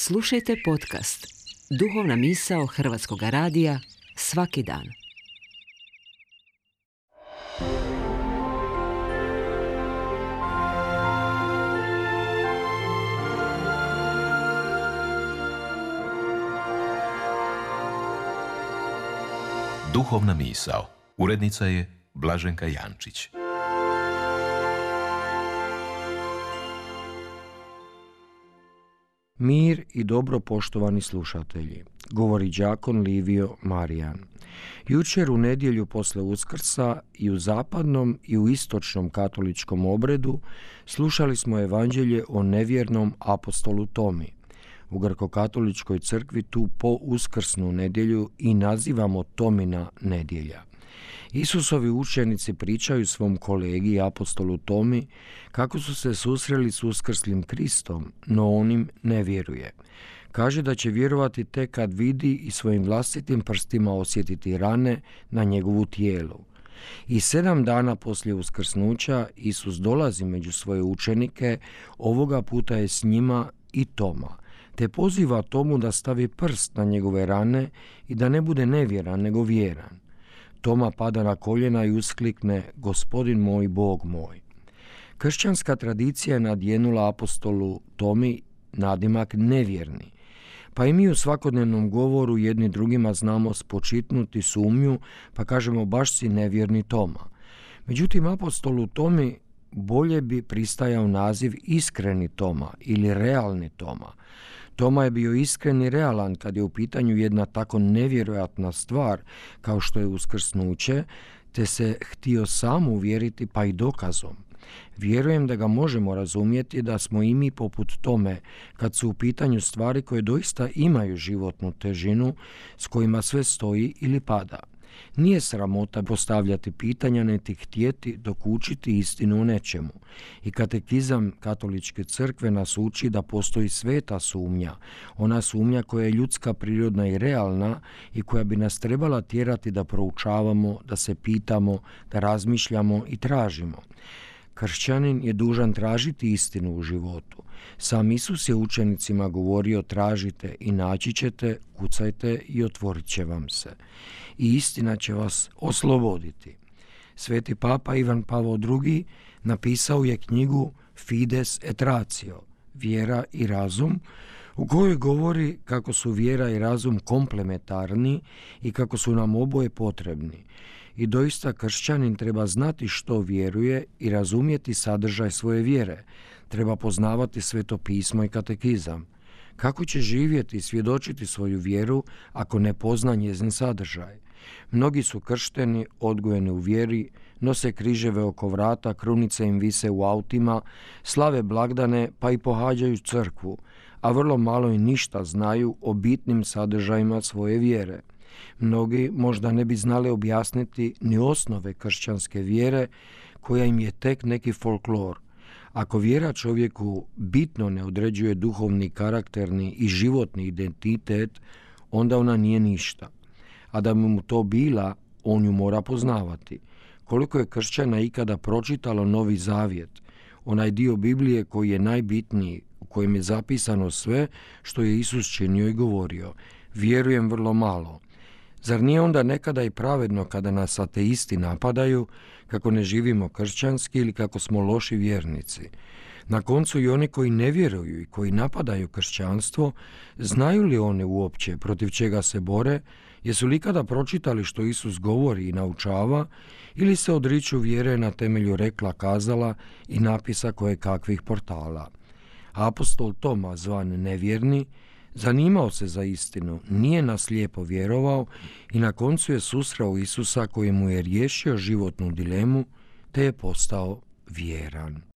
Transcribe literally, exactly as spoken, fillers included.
Slušajte podcast Duhovna misao Hrvatskog radija svaki dan. Duhovna misao. Urednica je Blaženka Jančić. Mir i dobro, poštovani slušatelji, govori đakon Livio Marijan. Jučer u nedjelju posle Uskrsa i u zapadnom i u istočnom katoličkom obredu slušali smo evanđelje o nevjernom apostolu Tomi. U grkokatoličkoj crkvi tu po uskrsnu nedjelju i nazivamo Tomina nedjelja. Isusovi učenici pričaju svom kolegi apostolu Tomi kako su se susreli s uskrslim Kristom, no on im ne vjeruje. Kaže da će vjerovati tek kad vidi i svojim vlastitim prstima osjetiti rane na njegovu tijelu. I sedam dana poslije uskrsnuća Isus dolazi među svoje učenike, ovoga puta je s njima i Toma, te poziva Tomu da stavi prst na njegove rane i da ne bude nevjeran nego vjeran. Toma pada na koljena i usklikne: Gospodin moj, Bog moj. Kršćanska tradicija je nadjenula apostolu Tomi nadimak nevjerni, pa i mi u svakodnevnom govoru jedni drugima znamo spočitnuti sumnju, pa kažemo baš si nevjerni Toma. Međutim, apostolu Tomi bolje bi pristajao naziv iskreni Toma ili realni Toma. Toma je bio iskren i realan kad je u pitanju jedna tako nevjerojatna stvar kao što je uskrsnuće, te se htio sam uvjeriti pa i dokazom. Vjerujem da ga možemo razumjeti da smo i mi poput Tome kad su u pitanju stvari koje doista imaju životnu težinu s kojima sve stoji ili pada. Nije sramota postavljati pitanja niti htjeti dokučiti istinu o nečemu. I katekizam katoličke crkve nas uči da postoji sveta sumnja, ona sumnja koja je ljudska, prirodna i realna i koja bi nas trebala tjerati da proučavamo, da se pitamo, da razmišljamo i tražimo. Kršćanin je dužan tražiti istinu u životu. Sam Isus je učenicima govorio: tražite i naći ćete, kucajte i otvorit će vam se. I istina će vas osloboditi. Sveti papa Ivan Pavao drugi napisao je knjigu Fides et Ratio, vjera i razum, u kojoj govori kako su vjera i razum komplementarni i kako su nam oboje potrebni. I doista kršćanin treba znati što vjeruje i razumjeti sadržaj svoje vjere. Treba poznavati Sveto pismo i katekizam. Kako će živjeti i svjedočiti svoju vjeru ako ne pozna njezin sadržaj? Mnogi su kršteni, odgojeni u vjeri, nose križeve oko vrata, krunice im vise u autima, slave blagdane pa i pohađaju crkvu, a vrlo malo i ništa znaju o bitnim sadržajima svoje vjere. Mnogi možda ne bi znali objasniti ni osnove kršćanske vjere, koja im je tek neki folklor. Ako vjera čovjeku bitno ne određuje duhovni, karakterni i životni identitet, onda ona nije ništa. A da bi mu to bila, on ju mora poznavati. Koliko je kršćana ikada pročitalo Novi Zavjet, onaj dio Biblije koji je najbitniji, u kojem je zapisano sve što je Isus činio i govorio? Vjerujem vrlo malo. Zar nije onda nekada i pravedno kada nas ateisti napadaju kako ne živimo kršćanski ili kako smo loši vjernici? Na koncu i oni koji ne vjeruju i koji napadaju kršćanstvo, znaju li oni uopće protiv čega se bore? Jesu li ikada pročitali što Isus govori i naučava, ili se odriču vjere na temelju rekla kazala i napisa koje kakvih portala? Apostol Toma, zvan nevjerni, zanimao se za istinu, nije nas lijepo vjerovao i na koncu je susreo Isusa koji mu je riješio životnu dilemu te je postao vjeran.